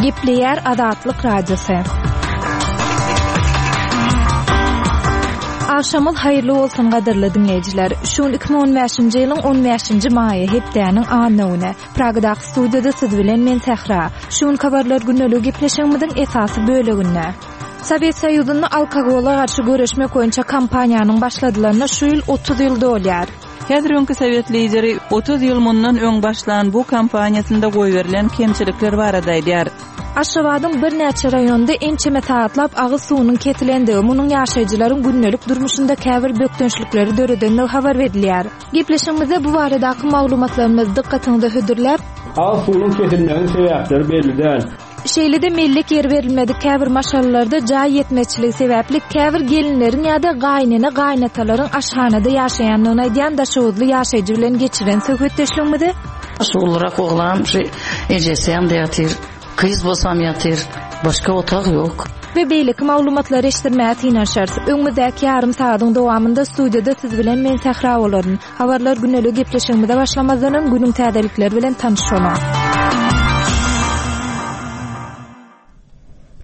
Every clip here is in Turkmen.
Gepleýär Azatlyk Radiosy. Agşamyňyz haýyrly bolsun gadyrly diňleýjiler. Şu gün 2015-nji ýylyň 15-nji maýy hepdäniň anna güni. Pragadaky studiýada siz bilen men Sähra. Şu günki habarlar gündeligi gepleşigimiziň esasy böleginde. Sowet Soýuzynda alkogola garşy göreşmek boýunça kampaniýanyň başladylanyna şu ýyl 30 ýyl dolýar. Häzir öňki sowet lideri 30 ýyl mundan öň başlan bu kampaniýasynda goýberilen kemçilikler barada aýdýar. Aşgabadyň birnäçe raýonynda ençeme sagatlap agyz suwunyň kesilendigi, munuň ýaşaýjylaryň gündelik durmuşynda käbir bökdençlikleri döredendigi habar berilýär. Gepleşigimizde bu baradaky maglumatlarymyzy dykgatyňyza hödürläp, Agyz suwunyň kesilmeginiň sebäpleri belli däl. Şeýle-de mellek ýer berilmedik käbir maşgalalarda jaý ýetmezçiligi sebäpli käbir gelinleriň ýa-da gaýynene-gaýynatalaryň aşhanada ýaşaýandygyny aýdýan daşoguzly ýaşaýjy bilen geçiren söhbetdeşligimizi Şu ulurak oglanam şu ejesi ýanynda ýatyr. Gyz bolsam ýatyr. Başga otag ýok. We beýleki maglumatlary eşitdirmäge synanyşarys. Öňümizdäki ýarym sagadyň dowamynda studiýada siz bilen men Sähra bolaryn. Habarlar güneli gepleşigimize başlamazdan öň günüň täzelikleri bilen tanyş boluň.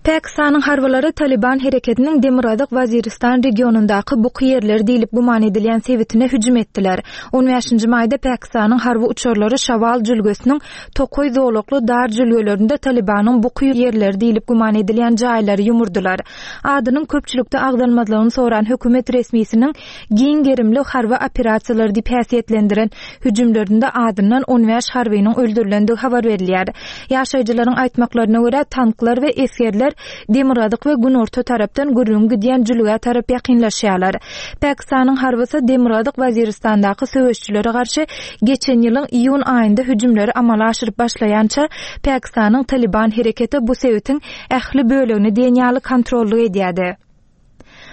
Pakistanyň harbylary Talyban hereketiniň Demirgazyk Waziristan regionyndaky buky ýerleri diýlip güman edilýän sebitine hüjüm etdiler. On bäşinji maýda Pakistanyň harby uçarlary Şawal jülgesiniň tokaý zolakly dar jülgelerinde Talybanyň buky ýerleri diýlip güman edilýän jaýlary ýumurdylar. Adynyň köpçülikde agzalmazlygyny soran hökümet resmisiniň giň gerimli harby operasiýalar diýip häsiýetlendiren hüjümlerinde azyndan 15 harbynyň öldürilendigi habar berilýär. Ýaşaýjylaryň aýtmaklaryna görä, tanklar we esgerler demirgazyk we günorta tarapdan gürrüňi gidýän jülgä tarap ýakynlaşýarlar. Pakistanyň harbysy Demirgazyk Waziristandaky söweşijilere garşy geçen ýylyň iýun aýynda hüjümleri amala aşyryp başlaýança, Pakistanyň Talyban hereketi bu sebitiň ähli bölegini diýen ýaly kontrollyk edýärdi.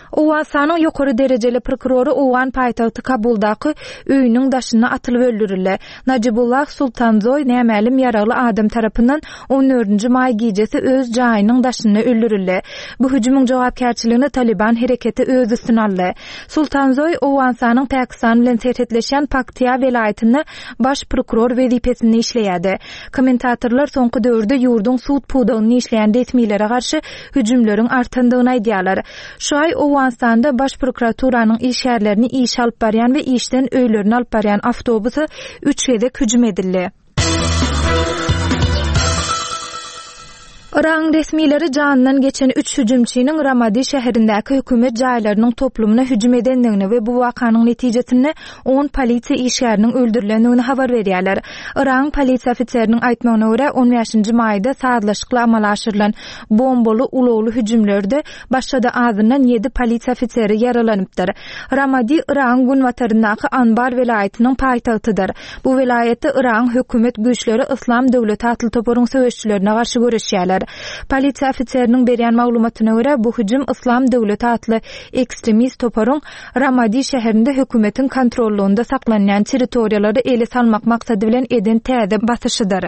Owganystanyň ýokary derejeli prokurory owgan paýtagty Kabuldaky öýüniň daşynda atylyp öldürildi. Najibullah Sultanzoý nämälim ýaragly adam tarapyndan on dördünji maý gijesi öz jaýynyň daşynda öldürildi. Bu hüjümiň jogapkärçiligini Talyban hereketi öz üstüne aldy. Sultanzoý Owganystanyň Pakistan bilen serhetleşýän Paktiýa welaýatynda baş prokuror wezipesinde işleýärdi. Kommentatorlar soňky döwürde ýurduň sud pudagynda işleýän resmilere garşy hüjümleriň artandygyny aýdýarlar. Şu aý Owganystanda Baş prokuraturanyň işgärlerini işe alyp barýan we işden öýlerine alyp barýan awtobusa üç gezek hüjüm edildi. Yragyň resmileri janyndan geçen üç hüjümçiniň Ramadi şäherindäki hökümet jaýlarynyň toplumyna hüjüm edendigini we bu wakanyň netijesinde on polisiýa işgäriniň öldürilendigini habar berýärler. Yragyň polisiýa ofiseriniň aýtmagyna görä, on bäşinji maýda sazlaşykly amala aşyrylan bombaly ulagly hüjümlerde başga-da azyndan ýedi polisiýa ofiseri ýaralanypdyr. Ramadi Yragyň günbataryndaky Anbar welaýatynyň paýtagtydyr. Bu welaýatda Yragyň hökümet güýçleri Yslam döwleti atly toparyň söweşijilerine garşy göreşýärler. Polisiýa ofiseriniň berýän maglumatyna görä, bu hüjüm Yslam döwleti atly ekstremist toparyň Ramadi şäherinde hökümetiň kontrollygynda saklanýan territoriýalary ele salmak maksady bilen eden täze basyşydyr.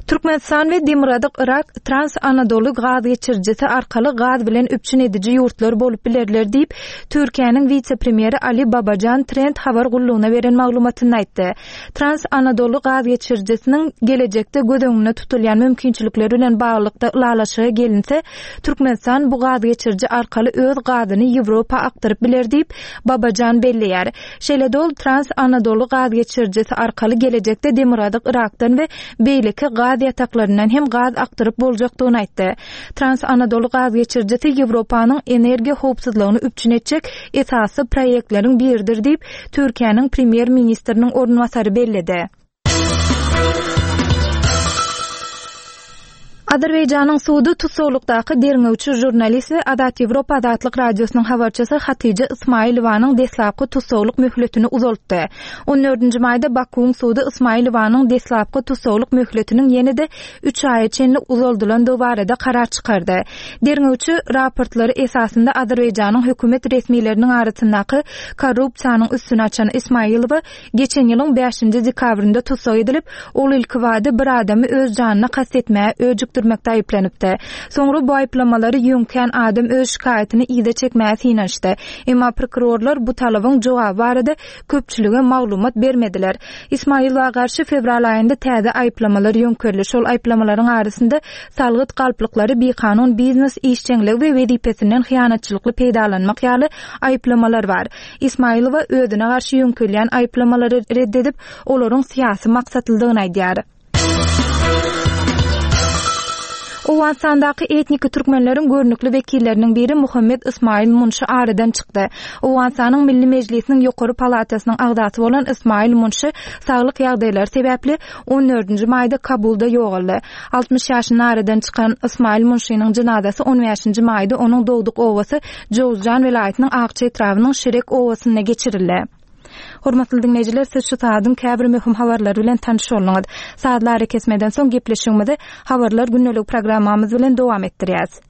Türkmenistan we Demirgazyk Yrak Trans-Anadoly gaz geçirijisi arkaly gaz bilen üpjün ediji ýurtlar bolup bilerler diýip, Türkiýäniň wise-premýeri Ali Babajan Trend habar gullugyna beren maglumatynda aýtdy. Trans-Anadoly gaz geçirijisiniň gelejekde göz öňünde tutulýan mümkinçilikleri bilen baglylykda ylalaşyga gelinse, Türkmenistan bu gaz geçiriji arkaly öz gazyny Ýewropa akdyryp biler diýip, Babajan belleýär. Şeýle-de ol Trans-Anadoly gaz geçirijisi arkaly gelejekde Demirgazyk Yrakdan we beýleki gaz ýataklaryndan hem gaz akdyryp boljakdygyny aýtdy. Trans-Anadoly gaz geçirijisi Ýewropanyň energiýa howpsuzlygyny üpjün etjek esasy proýektleriň biridir diýip, Türkiýäniň Premýer-ministriniň orunbasary belledi. Azerbaýjanyň sudy tussaglykdaky derňewçi žurnalist we Azat Ýewropa Azatlyk Radiosynyň habarçysy Hatyja Ismailowanyň deslapky tussaglyk möhletini uzaltdy. On dördünji maýda Bakuwyň sudy Ismailowanyň deslapky tussaglyk möhletiniň ýene-de üç aýa çenli uzaldylandygy barada karar çykardy. Derňewçi raportlary esasynda Azerbaýjanyň hökümet resmileriniň arasyndaky korrupsiýanyň üstüni açan Ismailowa Geçen ýylyň bäşinji dekabrynda tussag edilip, ol ilkibada bir adamy öz janyna kast etmäge öjükdiripdir. ösdürmekde aýyplanypdy. Soňra bu aýyplamalary ýöňkän adam öz şikaýatyny yza çekmäge synanyşdy. Emma prokurorlar bu talabyň jogaby barada köpçülige maglumat bermediler. Ismailowa garşy fewral aýynda täze aýyplamalar ýöňkeldi. Şol aýyplamalaryň arasynda salgyt galplyklary, bikanun biznes işjeňligi we wezipesinden hyýanatçylykly peýdalanmak ýaly aýyplamalar bar. Ismailowa özüne garşy ýöňkelýän aýyplamalary ret edip, olaryň syýasy maksatlydygyny aýdýar. Owganystandaky etniki türkmenleriň görnükli wekilleriniň biri Muhammet Ysmaýyl Munşy aradan çykdy. Owganystanyň Milli Mejlisiniň ýokary palatasynyň agzasy bolan Ysmaýyl Munşy saglyk ýagdaýlary sebäpli on dördünji maýda Kabulda ýogaldy. 60 ýaşynda aradan çykan Ysmaýyl Munşynyň jynazasy on bäşinji maýda onuň dogduk obasy Jowzjan welaýatynyň Akça etrabynyň Şirek obasynda geçirildi. Hormatly diňleýjiler, siz şu saadyň käbir möhüm habarlary bilen tanyş bolduňyz. Sazly arakesmeden soň gepleşigimizi Habarlar gündeligi programmamyz bilen dowam etdirýäs.